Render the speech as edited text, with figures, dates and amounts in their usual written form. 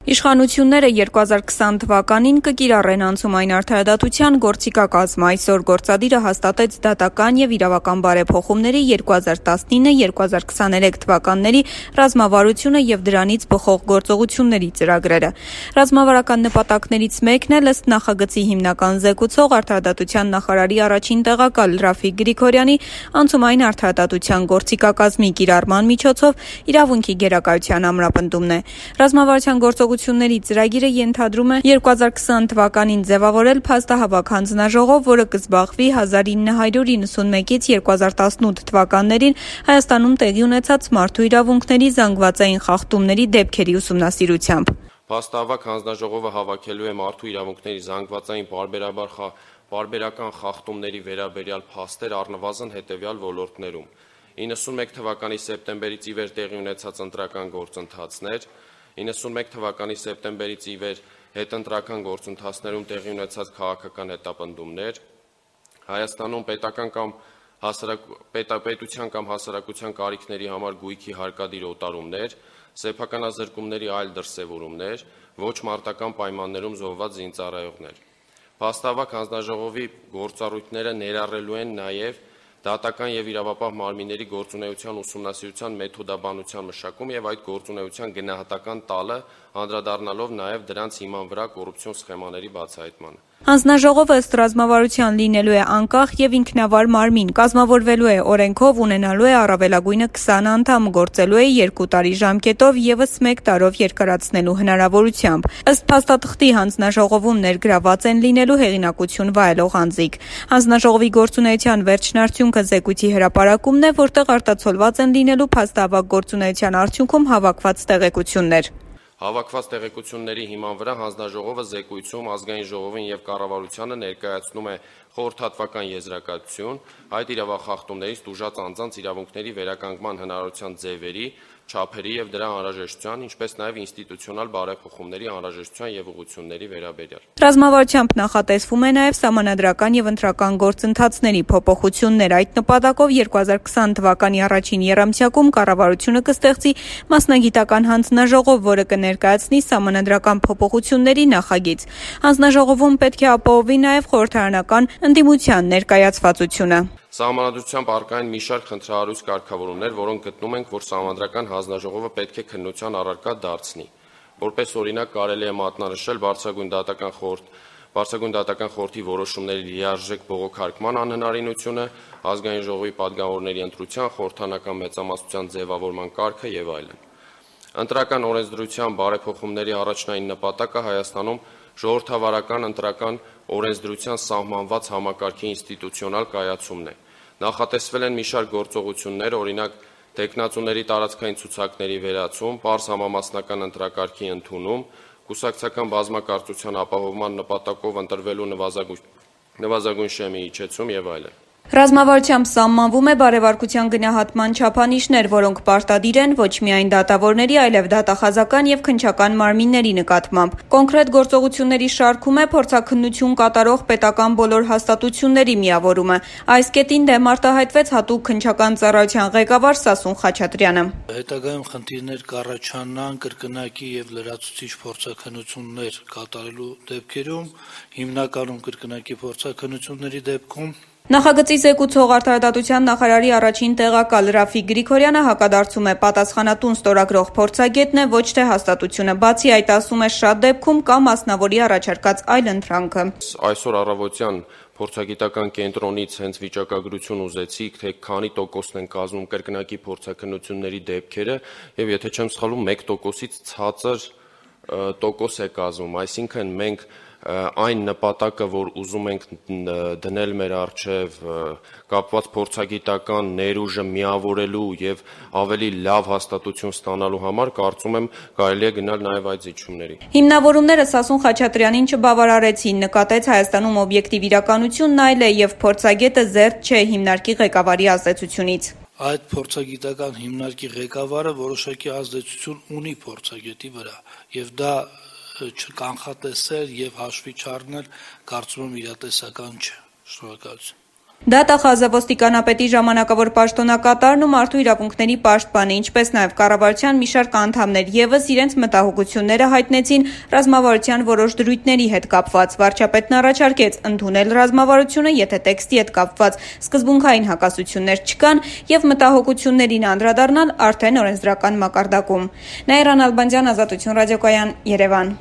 Իշխանությունները 2020 թվականին կկիրառեն անցումային արդարադատության գործիքակազմը։ Այսօր գործադիրը հաստատեց դատական եւ իրավական բարեփոխումների 2019-2023 թվականների ռազմավարությունը եւ դրանից բխող գործողությունների ծրագրերը։ Ռազմավարական նպատակներից մեկն է ըստ նախագծի հիմնական զեկուցող արդարադատության նախարարի առաջին տեղակալ Ռաֆիկ Գրիգորյանի անցումային արդարադատության գործիքակազմի կիրառման միջոցով իրավունքի գերակայության ամրապնդումն է։ Ռազմավարության գործողությունների ծրագիրը ենթադրում է 2020 թվականին ձևավորել փաստահավաք հանձնաժողով, որը կզբաղվի 1991-ից 2018 թվականներին Հայաստանում տեղի ունեցած մարդու իրավունքների զանգվածային խախտումների դեպքերի ուսումնասիրությամբ։ Փաստահավաք հանձնաժողովը հավաքելու է մարդու իրավունքների զանգվածային պարբերական խախտումների վերաբերյալ փաստեր առնվազն հետևյալ ոլորտներում. 91 թվականի սեպտեմբերից ի վեր տեղի ունեցած ընտրական գործընթացներ, 91 թվականի սեպտեմբերից ի վեր հետընտրական գործընթացներում տեղի ունեցած քաղաքական հետապնդումներ, Հայաստանում պետության կամ հասարակության կարիքների համար գույքի հարկադիր օտարումներ, սեփականազրկումների այլ դրսևորումներ, ոչ մարտական պայմաններում զոհված զինծառայողներ։ Փաստահավաք հանձնաժողովի գործառույթները ներառելու են նաև դատական եւ իրավապահ մարմինների գործունեության ուսումնասիրության մեթոդաբանության մշակում եւ այդ գործունեության գնահատական տալը, անդրադառնալով նաեւ դրանց հիման վրա կոռուպցիոն սխեմաների բացահայտմանը։ Հանձնաժողովը ըստ ռազմավարության լինելու է անկախ եւ ինքնավար մարմին, կազմավորվելու է օրենքով, ունենալու է առավելագույնը 20 անդամ, գործելու է 2 տարի ժամկետով եւս 1 տարով երկարացնելու հնարավորությամբ։ Ըստ փաստաթղթի հանձնաժողովում ներգրաված են լինելու հեղինակություն վայելող անձիկ։ Հանձնաժողովի գործունեության վերջնարդյունքը զեկույցի հրապարակումն է, որտեղ արտացոլված են լինելու փաստահավաք գործունեության արդյունքում հավաքված տեղեկություններ։ Հավաքված տեղեկությունների հիման վրա հանձնաժողովը զեկույցում ազգային ժողովին եւ կառավարությանը ներկայացնում է խորհրդատվական եզրակացություն այդ իրավախախտումներից տուժած անձանց իրավունքների վերականգնման հնարավորության ձևերի, չափերի եւ դրա անհրաժեշտության, ինչպես նաեւ ինստիտուցիոնալ բարեփոխումների անհրաժեշտության եւ ուղղությունների վերաբերյալ։ Ռազմավարությամբ նախատեսվում է նաեւ սահմանադրական եւ ընտրական գործընթացների փոփոխություններ։ Այդ նպատակով 2020 թվականի առաջին եռամսյակում կառավարությունը կստեղծի մասնագիտական հանձնաժողով, որը կներկայացնի սահմանադրական փոփոխությունների նախագիծ։ Հանձնաժողովում պետք է ապահովի նաեւ խորհրդարանական ընդդիմության ներկայացվածությունը։ Սահմանադրությամբ առկա են մի շարք խնդրահարույց կարգավորումներ, որոնք գտնում ենք, որ Սահմանադրական հանձնաժողովը պետք է քննության առարկա դարձնի։ Որպես օրինակ կարելի է մատնանշել Բարձրագույն դատական խորհրդի որոշումների լիարժեք բողոքարկման անհնարինությունը, ազգային ժողովի պատգամավորների ընտրության, խորհրդարանական մեծամասնության ձևավորման կարգը եւ այլն։ Ընտրական օրենսդրության բարեփոխումների առաջնային նպատակը Հայաստանում ժողովրդավարական ընտրական օրենսդրության սահմանված համակարգի ինստիտուցիոնալ կայացումն է։ Նախատեսվել են մի շարք գործողություններ, օրինակ տեխնացուների տարածքային ցուցակների վերացում, պարզ համամասնական ընտրակարգի ընդունում, կուսակցական բազմակարծության ապահովման նպատակով ընտրվելու նվազագույն շեմի իջեցում եւ այլն։ Ռազմավարությամբ սահմանվում է բարեվարկության գնահատման չափանիշներ, որոնք պարտադիր են ոչ միայն դատավորների, այլև դատախազական եւ քննչական մարմինների նկատմամբ։ Կոնկրետ գործողությունների շարքում է փորձաքննություն կատարող պետական բոլոր հաստատությունների միավորումը։ Այս կետին դեմ արտահայտվեց հատուկ քննչական ծառայության ղեկավար Սասուն Խաչատրյանը։ Հետագայում խնդիրներ կառաջանան կրկնակի եւ լրացուցիչ փորձաքննություններ կատարելու դեպքերում, հիմնականում կրկնակի փորձաքննությունների դեպքում Նախագծի զեկուցող արդարադատության նախարարի առաջին տեղակալ Ռաֆիկ Գրիգորյանը հակադարձում է պատասխանատուն ստորագրող փորձագետն է, ոչ թե հաստատությունը։ Բացի այդ, ասում է, շատ դեպքում կա մասնավորի առաջարկած այլ ընտրանքը։ Այսօր առավոտյան փորձագիտական կենտրոնից հենց վիճակագրություն ուզեցիք, թե քանի տոկոսն են կազմում կրկնակի փորձաքննությունների դեպքերը, եւ եթե չեմ սխալվում, 1%-ից ցածր տոկոս է կազմում, այսինքն մենք այն նպատակը, որ ուզում ենք դնել մեր առջև կապված փորձագիտական ներուժը միավորելու եւ ավելի լավ հաստատություն ստանալու համար, կարծում եմ կարելի է գնալ նաեւ այդ զիջումների։ Հիմնավորումները Սասուն Խաչատրյանին չբավարարեցին, նկատեց Հայաստանում օբյեկտիվ իրականությունն այլ է եւ փորձագետը զերծ չէ հիմնարկի ղեկավարի ազդեցությունից։ Այդ փորձագիտական հիմնարկի ղեկավարը որոշակի ազդեցություն ունի փորձագետի վրա եւ դա չկանխատեսել եւ հաշվի չառնել կարծում եմ իրատեսական չէ։ Շնորհակալություն։ Դատախազը ոստիկանապետի ժամանակավոր պաշտոնակատարն ու մարդու իրավունքների պաշտպանը, ինչպես նաև կառավարության մի շարք անդամներ ևս իրենց մտահոգությունները հայտնեցին ռազմավարության որոշ դրույթների հետ կապված։ Վարչապետն առաջարկեց ընդունել ռազմավարությունը, եթե տեքստի հետ կապված սկզբունքային հակասություններ չկան եւ մտահոգություններին անդրադառնալ արդեն օրենսդրական մակարդակում։ Նաիրա Նալբանդյան, Ազատություն ռադիոկայան, Երևան։